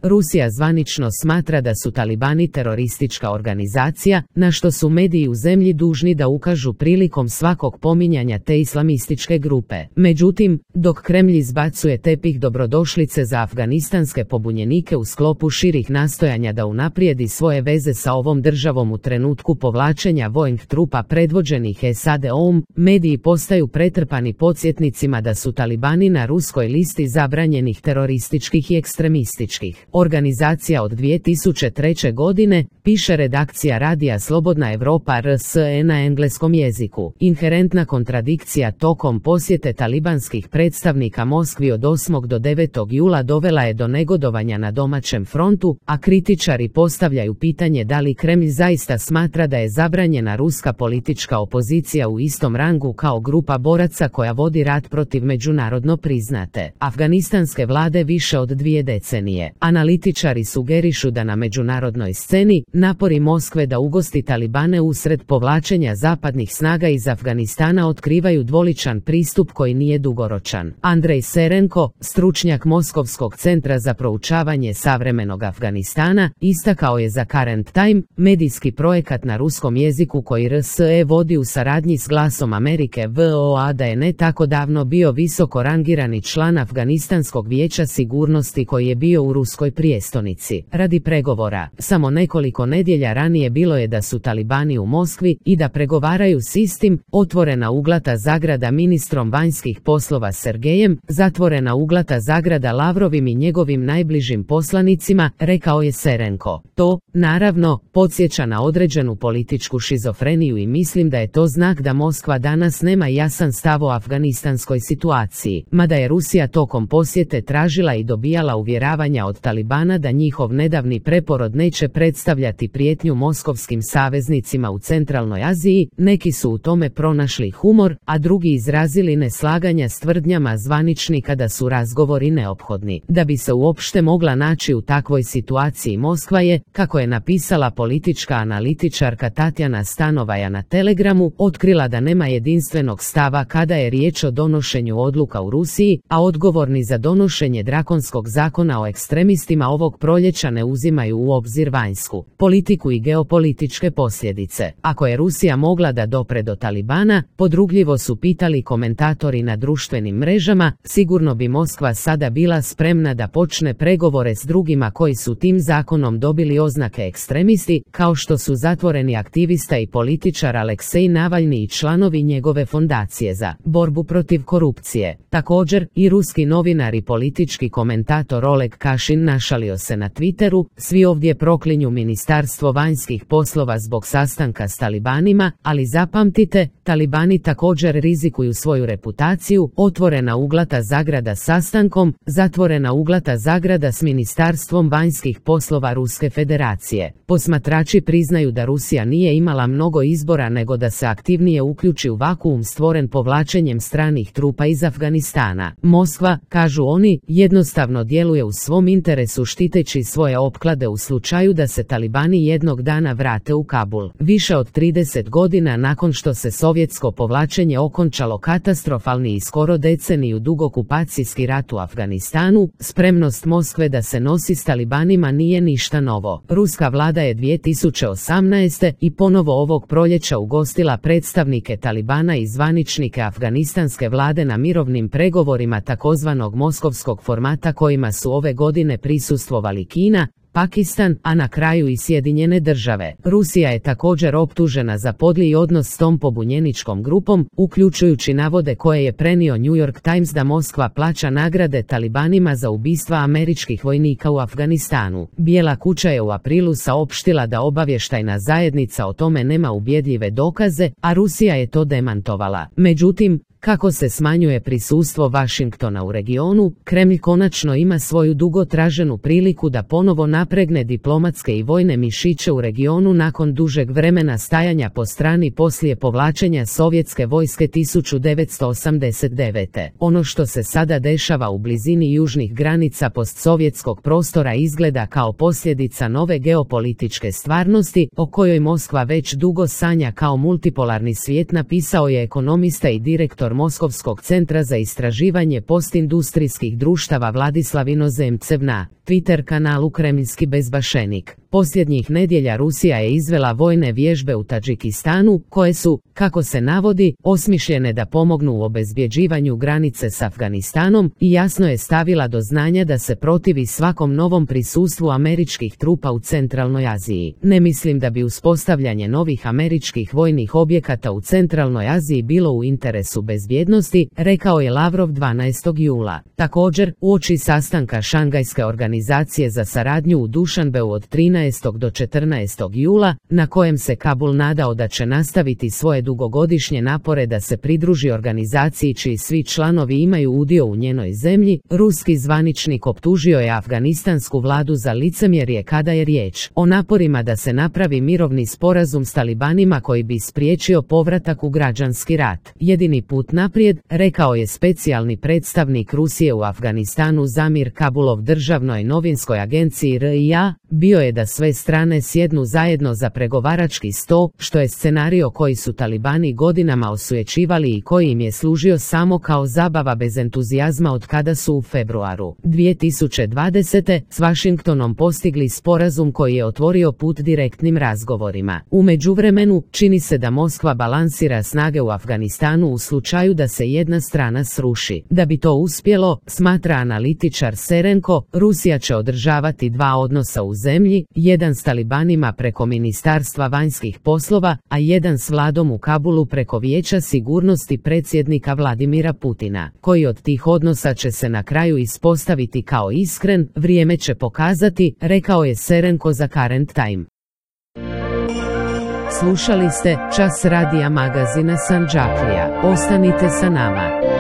Rusija zvanično smatra da su talibani teroristička organizacija, na što su mediji u zemlji dužni da ukažu prilikom svakog pominjanja te islamističke grupe. Međutim, dok Kremlj izbacuje tepih dobrodošlice za afganistanske pobunjenike u sklopu širih nastojanja da unaprijedi svoje veze sa ovom državom u trenutku povlačenja vojnih trupa predvođenih SAD-om, mediji postaju pretrpani podsjetnicima da su talibani na ruskoj listi zabranjenih terorističkih i ekstremističkih organizacija od 2003. godine, piše redakcija radija Slobodna Evropa RSE na engleskom jeziku. Inherentna kontradikcija tokom posjete talibanskih predstavnika Moskvi od 8. do 9. jula dovela je do negodovanja na domaćem frontu, a kritičari postavljaju pitanje da li Kremlj zaista smatra da je zabranjena ruska politička opozicija u istom rangu kao grupa boraca koja vodi rat protiv međunarodno priznate afganistanske vlade više od 2 decenije. Analitičari sugerišu da na međunarodnoj sceni napori Moskve da ugosti talibane usred povlačenja zapadnih snaga iz Afganistana otkrivaju dvoličan pristup koji nije dugoročan. Andrej Serenko, stručnjak Moskovskog centra za proučavanje savremenog Afganistana, istakao je za Current Time, medijski projekat na ruskom jeziku koji RSE vodi u saradnji s Glasom Amerike VOA, da je ne tako davno bio visoko rangirani član Afganistanskog vijeća sigurnosti koji je bio u ruskoj prijestolnici radi pregovora. Samo nekoliko nedjelja ranije bilo je da su talibani u Moskvi i da pregovaraju s istim, otvorena uglata zagrada ministrom vanjskih poslova Sergejem, zatvorena uglata zagrada Lavrovim i njegovim najbližim poslanicima, rekao je Serenko. To, naravno, podsjeća na određenu političku šizofreniju i mislim da je to znak da Moskva danas nema jasan stav o afganistanskoj situaciji, mada je Rusija tokom posjete tražila i dobijala uvjeravanja od talibana da njihov nedavni preporod neće predstavljati prijetnju moskovskim saveznicima u centralnoj Aziji. Neki su u tome pronašli humor, a drugi izrazili neslaganja s tvrdnjama zvaničnika da su razgovori neophodni. Da bi se uopšte mogla naći u takvoj situaciji, Moskva je, kako je napisala politička analitičarka Tatjana Stanovaja na Telegramu, otkrila da nema jedinstvenog stava kada je riječ o donošenju odluka u Rusiji, a odgovorni za donošenje drakonskog zakona o ekstremistima ovog proljeća ne uzimaju u obzir vanjsku politiku i geopolitičke posljedice. Ako je Rusija mogla da dopre do talibana, podrugljivo su pitali komentatori na društvenim mrežama, sigurno bi Moskva sada bila spremna da počne pregovore s drugima koji su tim zakonom dobili oznake ekstremisti, kao što su zatvoreni aktivista i političar Aleksej Navalni i članovi njegove fondacije za borbu protiv korupcije. Također, i ruski novinar i politički komentator Oleg Kašin našalio se na Twitteru, svi ovdje proklinju Ministarstvo vanjskih poslova zbog sastanka s talibanima, ali zapamtite, talibani također rizikuju svoju reputaciju, otvorena uglata zagrada sastankom, zatvorena uglata zagrada s Ministarstvom vanjskih poslova Ruske federacije. Posmatrači priznaju da Rusija nije imala mnogo izbora nego da se aktivnije uključi u vakuum stvoren povlačenjem stranih trupa iz Afganistana. Moskva, kažu oni, jednostavno djeluje u svom interesu štiteći svoje opklade u slučaju da se talibani jednog dana vrate u Kabul. Više od 30 godina nakon što se sovjetsko povlačenje okončalo katastrofalni i skoro deceniju dug okupacijski rat u Afganistanu, spremnost Moskve da se nosi s talibanima nije ništa novo. Ruska vlada je 2018. i ponovo ovog proljeća ugostila predstavnike talibana i zvaničnike afganistanske vlade na mirovnim pregovorima takozvanog moskovskog formata kojima su ove godine prisustvovali Kina, Pakistan, a na kraju i Sjedinjene države. Rusija je također optužena za podli odnos s tom pobunjeničkom grupom, uključujući navode koje je prenio New York Times da Moskva plaća nagrade talibanima za ubistva američkih vojnika u Afganistanu. Bijela kuća je u aprilu saopštila da obavještajna zajednica o tome nema ubjedljive dokaze, a Rusija je to demantovala. Međutim, kako se smanjuje prisustvo Vašingtona u regionu, Kremlj konačno ima svoju dugo traženu priliku da ponovo napregne diplomatske i vojne mišiće u regionu nakon dužeg vremena stajanja po strani poslije povlačenja sovjetske vojske 1989. Ono što se sada dešava u blizini južnih granica postsovjetskog prostora izgleda kao posljedica nove geopolitičke stvarnosti, o kojoj Moskva već dugo sanja kao multipolarni svijet, napisao je ekonomista i direktor Moskovskog centra za istraživanje postindustrijskih društava Vladislav Inozemcev na Twitter kanalu Kremljski bezbašenik. Posljednjih nedjelja Rusija je izvela vojne vježbe u Tadžikistanu, koje su, kako se navodi, osmišljene da pomognu u obezbjeđivanju granice s Afganistanom i jasno je stavila do znanja da se protivi svakom novom prisustvu američkih trupa u Centralnoj Aziji. Ne mislim da bi uspostavljanje novih američkih vojnih objekata u Centralnoj Aziji bilo u interesu bezbjednosti, rekao je Lavrov 12. jula. Također, uoči sastanka Šangajske organizacije za saradnju u Dušanbeu od 13. do 14. jula, na kojem se Kabul nadao da će nastaviti svoje dugogodišnje napore da se pridruži organizaciji čiji svi članovi imaju udio u njenoj zemlji, ruski zvaničnik optužio je afganistansku vladu za licemjerje kada je riječ o naporima da se napravi mirovni sporazum s talibanima koji bi spriječio povratak u građanski rat. Jedini put naprijed, rekao je specijalni predstavnik Rusije u Afganistanu Zamir Kabulov državnoj novinskoj agenciji RIA, bio je da sve strane sjednu zajedno za pregovarački sto, što je scenario koji su talibani godinama osujećivali i koji im je služio samo kao zabava bez entuzijazma od kada su u februaru 2020. s Washingtonom postigli sporazum koji je otvorio put direktnim razgovorima. U međuvremenu, čini se da Moskva balansira snage u Afganistanu u slučaju da se jedna strana sruši. Da bi to uspjelo, smatra analitičar Serenko, Rusija će održavati dva odnosa u zemlji, jedan s talibanima preko Ministarstva vanjskih poslova, a jedan s vladom u Kabulu preko Vijeća sigurnosti predsjednika Vladimira Putina. Koji od tih odnosa će se na kraju ispostaviti kao iskren, vrijeme će pokazati, rekao je Serenko za Current Time. Slušali ste Čas radija magazina Sandžaklija. Ostanite sa nama.